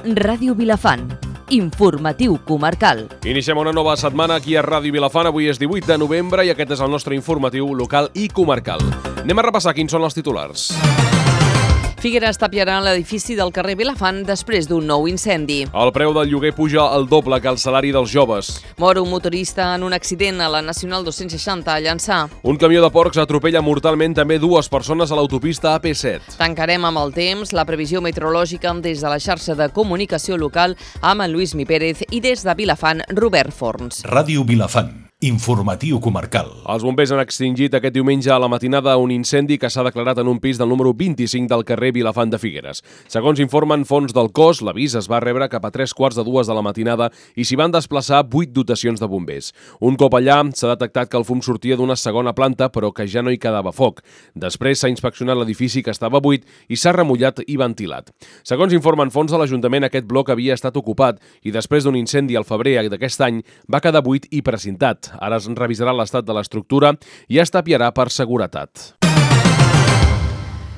Ràdio Vilafant, informatiu comarcal. Iniciem una nova setmana aquí a Ràdio Vilafant. Avui és 18 de novembre i aquest és el nostre informatiu local i comarcal. Anem a repassar quins són els titulars. Figueres tapiarà l'edifici del carrer Vilafant després d'un nou incendi. El preu del lloguer puja el doble que el salari dels joves. Mor un motorista en un accident a la Nacional 260 a Llançà. Un camió de porcs atropella mortalment també dues persones a l'autopista AP7. Tancarem amb el temps la previsió meteorològica des de la xarxa de comunicació local amb en Lluís Mi Pérez i des de Vilafant, Robert Forns. Ràdio Vilafant, informatiu comarcal. Els bombers han extingit aquest diumenge a la matinada un incendi que s'ha declarat en un pis del número 25 del carrer Vilafant de Figueres. Segons informen fonts del cos, l'avís es va rebre cap a 3:15 de la matinada i s'hi van desplaçar 8 dotacions de bombers. Un cop allà, s'ha detectat que el fum sortia d'una segona planta, però que ja no hi quedava foc. Després s'ha inspeccionat l'edifici que estava buit i s'ha remullat i ventilat. Segons informen fonts de l'Ajuntament, aquest bloc havia estat ocupat i després d'un incendi al febrer d'aquest any va quedar buit i precintat. Ara es revisarà l'estat de l'estructura i es tapiarà per seguretat.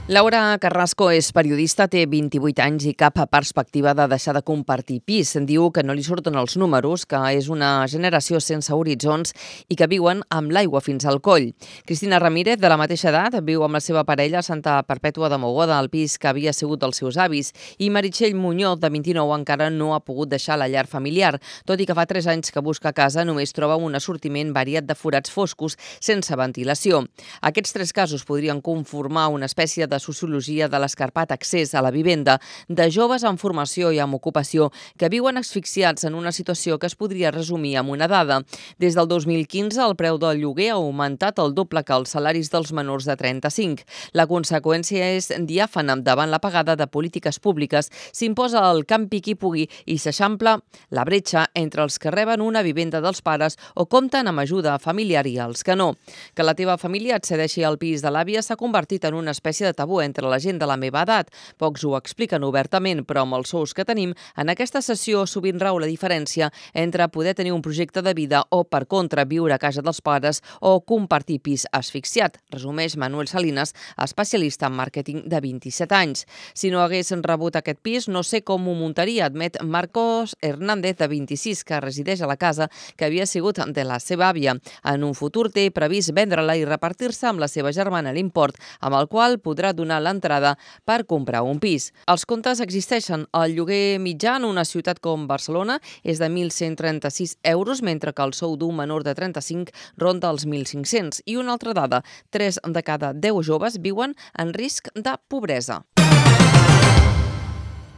Laura Carrasco és periodista, té 28 anys i cap perspectiva de deixar de compartir pis. Diu que no li surten els números, que és una generació sense horitzons i que viuen amb l'aigua fins al coll. Cristina Ramírez, de la mateixa edat, viu amb la seva parella a Santa Perpètua de Mogoda, al pis que havia sigut dels seus avis, i Meritxell Muñoz, de 29, encara no ha pogut deixar la llar familiar. Tot i que fa 3 anys que busca casa, només troba un assortiment variat de forats foscos sense ventilació. Aquests 3 casos podrien conformar una espècie de sociologia de l'escarpat accés a la vivenda de joves en formació i amb ocupació que viuen asfixiats en una situació que es podria resumir amb una dada. Des del 2015 el preu del lloguer ha augmentat el doble que els salaris dels menors de 35. La conseqüència és diàfana. Davant la pagada de polítiques públiques s'imposa el campi qui pugui i s'eixampla la bretxa entre els que reben una vivenda dels pares o compten amb ajuda familiar i els que no. Que la teva família et cedeixi al pis de l'àvia s'ha convertit en una espècie de tabú entre la gent de la meva edat. Pocs ho expliquen obertament, però amb els sous que tenim, en aquesta sessió sovint rau la diferència entre poder tenir un projecte de vida o, per contra, viure a casa dels pares o compartir pis asfixiat, resumeix Manuel Salinas, especialista en màrqueting de 27 anys. Si no hagués rebut aquest pis, no sé com ho muntaria, admet Marcos Hernández, de 26, que resideix a la casa que havia sigut de la seva àvia. En un futur té previst vendre-la i repartir-se amb la seva germana l'import, amb el qual podrà donar l'entrada per comprar un pis. Els comptes existeixen. El lloguer mitjà en una ciutat com Barcelona és de 1.136 euros, mentre que el sou d'un menor de 35 ronda els 1.500. I una altra dada, 3 de cada 10 joves viuen en risc de pobresa.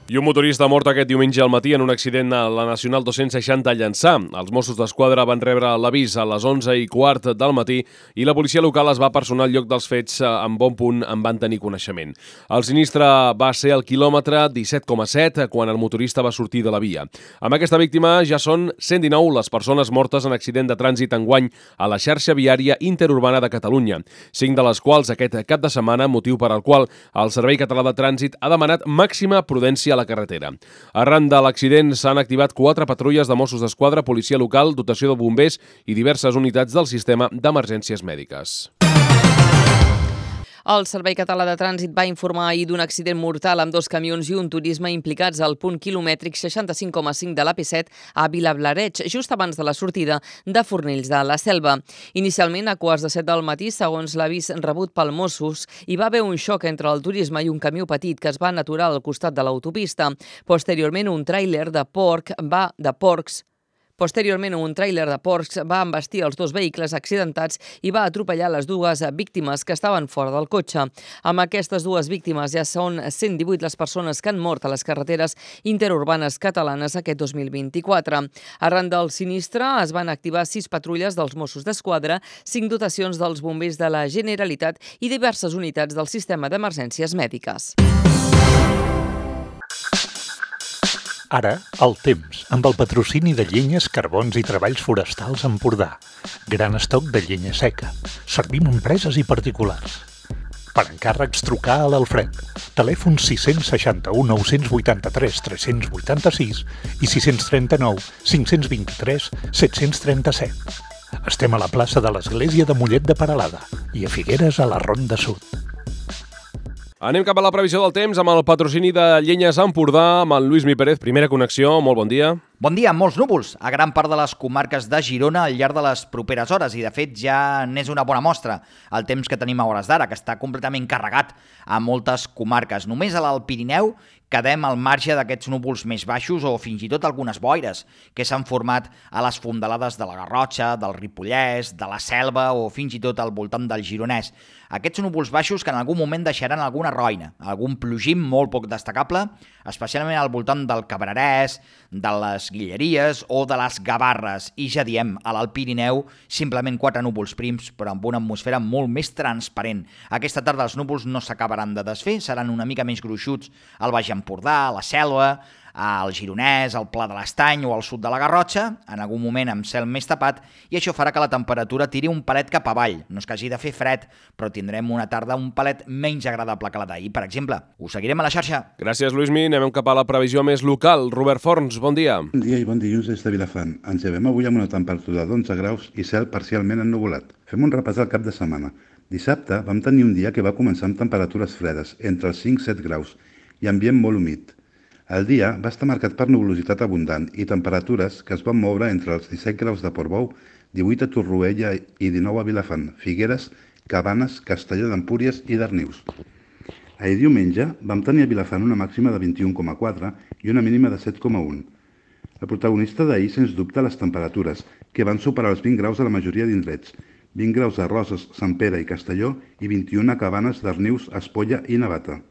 I un motorista mort aquest diumenge al matí en un accident a la Nacional 260 a Llançà. Els Mossos d'Esquadra van rebre l'avís a les 11:15 del matí i la policia local es va personar al lloc dels fets. En bon punt en van tenir coneixement. El sinistre va ser al quilòmetre 17,7 quan el motorista va sortir de la via. Amb aquesta víctima ja són 119 les persones mortes en accident de trànsit enguany a la xarxa viària interurbana de Catalunya, 5 de les quals aquest cap de setmana, motiu per al qual el Servei Català de Trànsit ha demanat màxima prudència a la carretera. Arran de l'accident s'han activat 4 patrulles de Mossos d'Esquadra, policia local, dotació de bombers i diverses unitats del sistema d'emergències mèdiques. El Servei Català de Trànsit va informar ahir d'un accident mortal amb 2 camions i un turisme implicats al punt quilomètric 65,5 de l'AP7 a Vilablareix, just abans de la sortida de Fornells de la Selva. Inicialment, a 6:45 del matí, segons l'avís rebut pel Mossos, hi va haver un xoc entre el turisme i un camió petit que es van aturar al costat de l'autopista. Posteriorment, un tràiler de porcs va embestir els 2 vehicles accidentats i va atropellar les 2 víctimes que estaven fora del cotxe. Amb aquestes 2 víctimes ja són 118 les persones que han mort a les carreteres interurbanes catalanes aquest 2024. Arran del sinistre es van activar 6 patrulles dels Mossos d'Esquadra, 5 dotacions dels bombers de la Generalitat i diverses unitats del sistema d'emergències mèdiques. Ara, el temps, amb el patrocini de Llenyes, Carbons i Treballs Forestals Empordà. Gran estoc de llenya seca. Servim a empreses i particulars. Per encàrrecs, trucar a l'Alfred. Telèfon 661 983 386 i 639 523 737. Estem a la plaça de l'Església de Mollet de Peralada i a Figueres a la Ronda Sud. Anem cap a la previsió del temps amb el patrocini de Llenyes Empordà, amb el Lluís Mi Pérez. Primera connexió, molt bon dia. Bon dia, molts núvols a gran part de les comarques de Girona al llarg de les properes hores i de fet ja n'és una bona mostra el temps que tenim a hores d'ara, que està completament carregat a moltes comarques. Només a l'Alt Pirineu quedem al marge d'aquests núvols més baixos o fins i tot algunes boires que s'han format a les fondalades de la Garrotxa, del Ripollès, de la Selva o fins i tot al voltant del Gironès. Aquests núvols baixos que en algun moment deixaran alguna roina, algun plogim molt poc destacable, especialment al voltant del Cabrerès, de les Guilleries o de les Gavarres. I ja diem, a l'Alt Pirineu, simplement 4 núvols prims, però amb una atmosfera molt més transparent. Aquesta tarda els núvols no s'acabaran de desfer, seran una mica més gruixuts al Baix Empordà, a la Selva, al Gironès, al Pla de l'Estany o al sud de la Garrotxa, en algun moment amb cel més tapat, i això farà que la temperatura tiri un palet cap avall. No és que hagi de fer fred, però tindrem una tarda un palet menys agradable que la d'ahir, per exemple. Us seguirem a la xarxa. Gràcies, Lluís Mi. Anem cap a la previsió més local. Robert Forns, bon dia. Bon dia i bon dilluns des de Vilafant. Ens llevem avui amb una temperatura d'11 graus i cel parcialment ennuvolat. Fem un repàs al cap de setmana. Dissabte vam tenir un dia que va començar amb temperatures fredes, entre els 5 i 7 graus, i ambient molt humit. El dia va estar marcat per nuvolositat abundant i temperatures que es van moure entre els 17 graus de Portbou, 18 a Torroella i 19 a Vilafant, Figueres, Cabanes, Castelló d'Empúries i Darnius. Ahir diumenge vam tenir a Vilafant una màxima de 21,4 i una mínima de 7,1. El protagonista d'ahir, sens dubte, les temperatures, que van superar els 20 graus a la majoria d'indrets, 20 graus a Roses, Sant Pere i Castelló i 21 a Cabanes, Darnius, Espolla i Navata.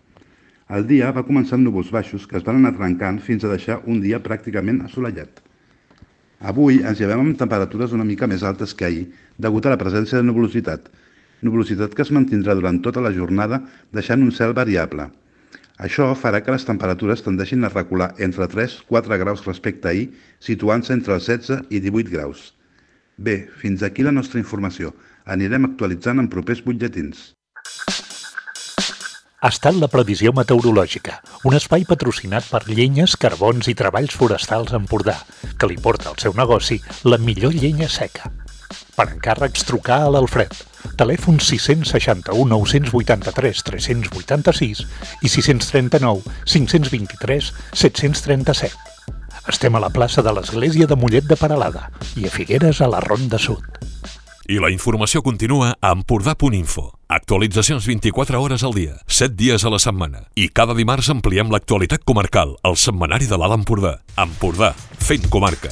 El dia va començar amb núvols baixos que es van anar trencant fins a deixar un dia pràcticament assolellat. Avui ens llevem amb temperatures una mica més altes que ahir, degut a la presència de nuvolositat. Nuvolositat que es mantindrà durant tota la jornada, deixant un cel variable. Això farà que les temperatures tendeixin a recular entre 3-4 graus respecte a ahir, situant-se entre els 16 i 18 graus. Bé, fins aquí la nostra informació. Anirem actualitzant en propers butlletins. Ha estat la previsió meteorològica, un espai patrocinat per Llenyes, Carbons i Treballs Forestals Empordà, que li porta al seu negoci la millor llenya seca. Per encàrrecs, trucar a l'Alfred. Telèfon 661 983 386 i 639 523 737. Estem a la plaça de l'Església de Mollet de Peralada i a Figueres a la Ronda Sud. I la informació continua a empordà.info. Actualitzacions 24 hores al dia, 7 dies a la setmana. I cada dimarts ampliem l'actualitat comarcal al setmanari de l'Alt Empordà. Empordà, fent comarca.